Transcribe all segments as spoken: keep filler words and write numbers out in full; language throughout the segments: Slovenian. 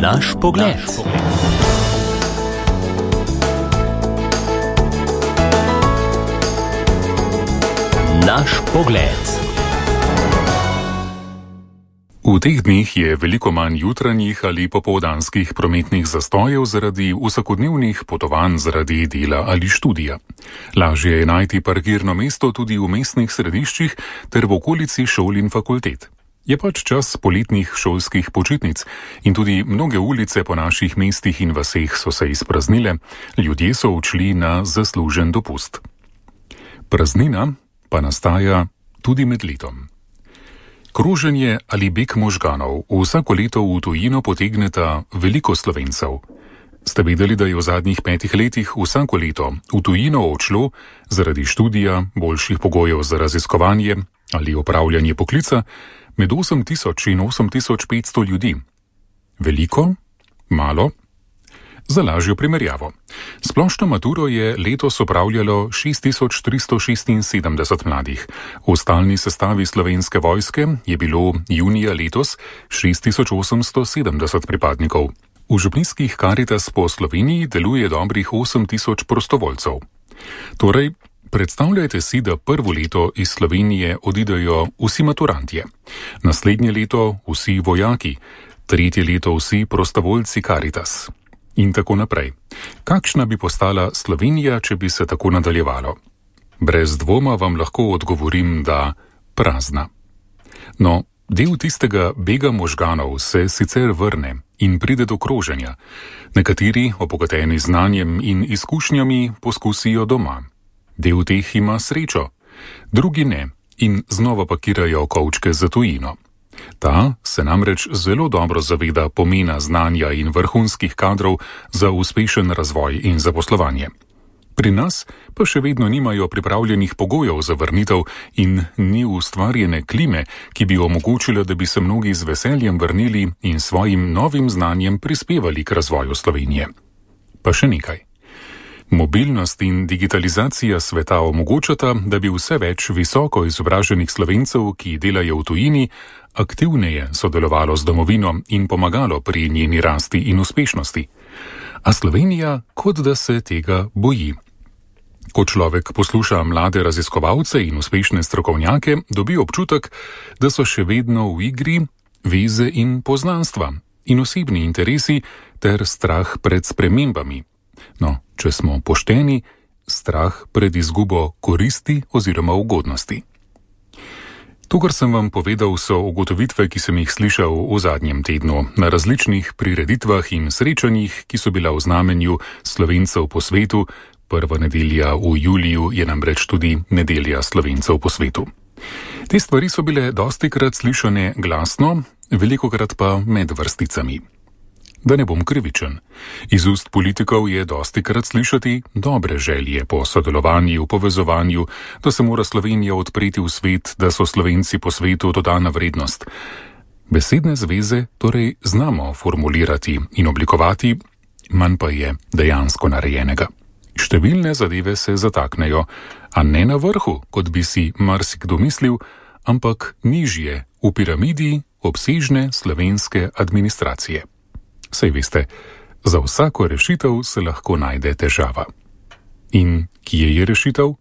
Naš pogled. Naš pogled. V teh dneh je veliko manj jutranjih ali popoldanskih prometnih zastojev zaradi vsakodnevnih potovanj zaradi dela ali študija. Lažje je najti parkirno mesto tudi v mestnih središčih ter v okolici šol in fakultet. Je pač čas poletnih šolskih počitnic in tudi mnoge ulice po naših mestih in vaseh so se izpraznile, ljudje so odšli na zaslužen dopust. Praznina pa nastaja tudi med letom. Kroženje ali beg možganov vsako leto v tujino potegneta veliko Slovencev. Ste vedeli, da je v zadnjih petih letih vsako leto v tujino odšlo zaradi študija, boljših pogojev za raziskovanje ali opravljanje poklica med osem tisoč in osem tisoč petsto ljudi? Veliko? Malo? Za lažjo primerjavo. Splošno maturo je letos opravljalo šest tisoč tristo šestinsedemdeset mladih. V stalni sestavi Slovenske vojske je bilo junija letos šest tisoč osemsto sedemdeset pripadnikov. V župnijskih Karitas po Sloveniji deluje dobrih osem tisoč prostovoljcev. Torej, predstavljajte si, da prvo leto iz Slovenije odidejo vsi maturantje, naslednje leto vsi vojaki, tretje leto vsi prostovoljci Karitas in tako naprej. Kakšna bi postala Slovenija, če bi se tako nadaljevalo? Brez dvoma vam lahko odgovorim, da prazna. No, del tistega bega možganov se sicer vrne in pride do kroženja. Nekateri, obogateni znanjem in izkušnjami, poskusijo doma. Del teh ima srečo, drugi ne in znova pakirajo kovčke za tujino. Ta se namreč zelo dobro zaveda pomena znanja in vrhunskih kadrov za uspešen razvoj in zaposlovanje. Pri nas pa še vedno nimajo pripravljenih pogojev za vrnitev in ni ustvarjene klime, ki bi omogočila, da bi se mnogi z veseljem vrnili in svojim novim znanjem prispevali k razvoju Slovenije. Pa še nekaj. Mobilnost in digitalizacija sveta omogočata, da bi vse več visoko izobraženih Slovencev, ki delajo v tujini, aktivneje sodelovalo z domovino in pomagalo pri njeni rasti in uspešnosti. A Slovenija kot da se tega boji. Ko človek posluša mlade raziskovalce in uspešne strokovnjake, dobi občutek, da so še vedno v igri veze in poznanstva in osebni interesi ter strah pred spremembami. No, če smo pošteni, strah pred izgubo koristi oziroma ugodnosti. To, kar sem vam povedal, so ugotovitve, ki sem jih slišal v zadnjem tednu na različnih prireditvah in srečanjih, ki so bila v znamenju Slovencev po svetu. Prva nedelja v juliju je namreč tudi nedelja Slovencev po svetu. Te stvari so bile dostikrat slišane glasno, velikokrat pa med vrsticami. Da ne bom krivičen. Iz ust politikov je dostikrat slišati dobre želje po sodelovanju, povezovanju, da se mora Slovenija odpreti v svet, da so Slovenci po svetu dodana vrednost. Besedne zveze torej znamo formulirati in oblikovati, manj pa je dejansko narejenega. Številne zadeve se zataknejo, a ne na vrhu, kot bi si marsikdo mislil, ampak nižje v piramidi obsežne slovenske administracije. Saj veste, za vsako rešitev se lahko najde težava. In kje je rešitev?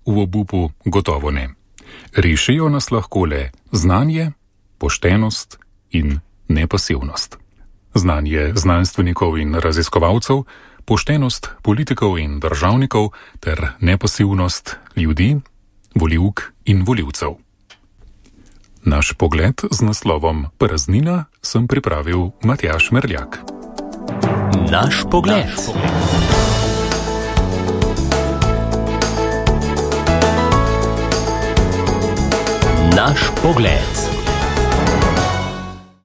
V obupu gotovo ne. Rešijo nas lahko le znanje, poštenost in nepasivnost. Znanje znanstvenikov in raziskovalcev, poštenost politikov in državnikov ter nepasivnost ljudi, volivk in volivcev. Naš pogled z naslovom Praznina sem pripravil Matjaž Merljak. Naš pogled. Naš pogled.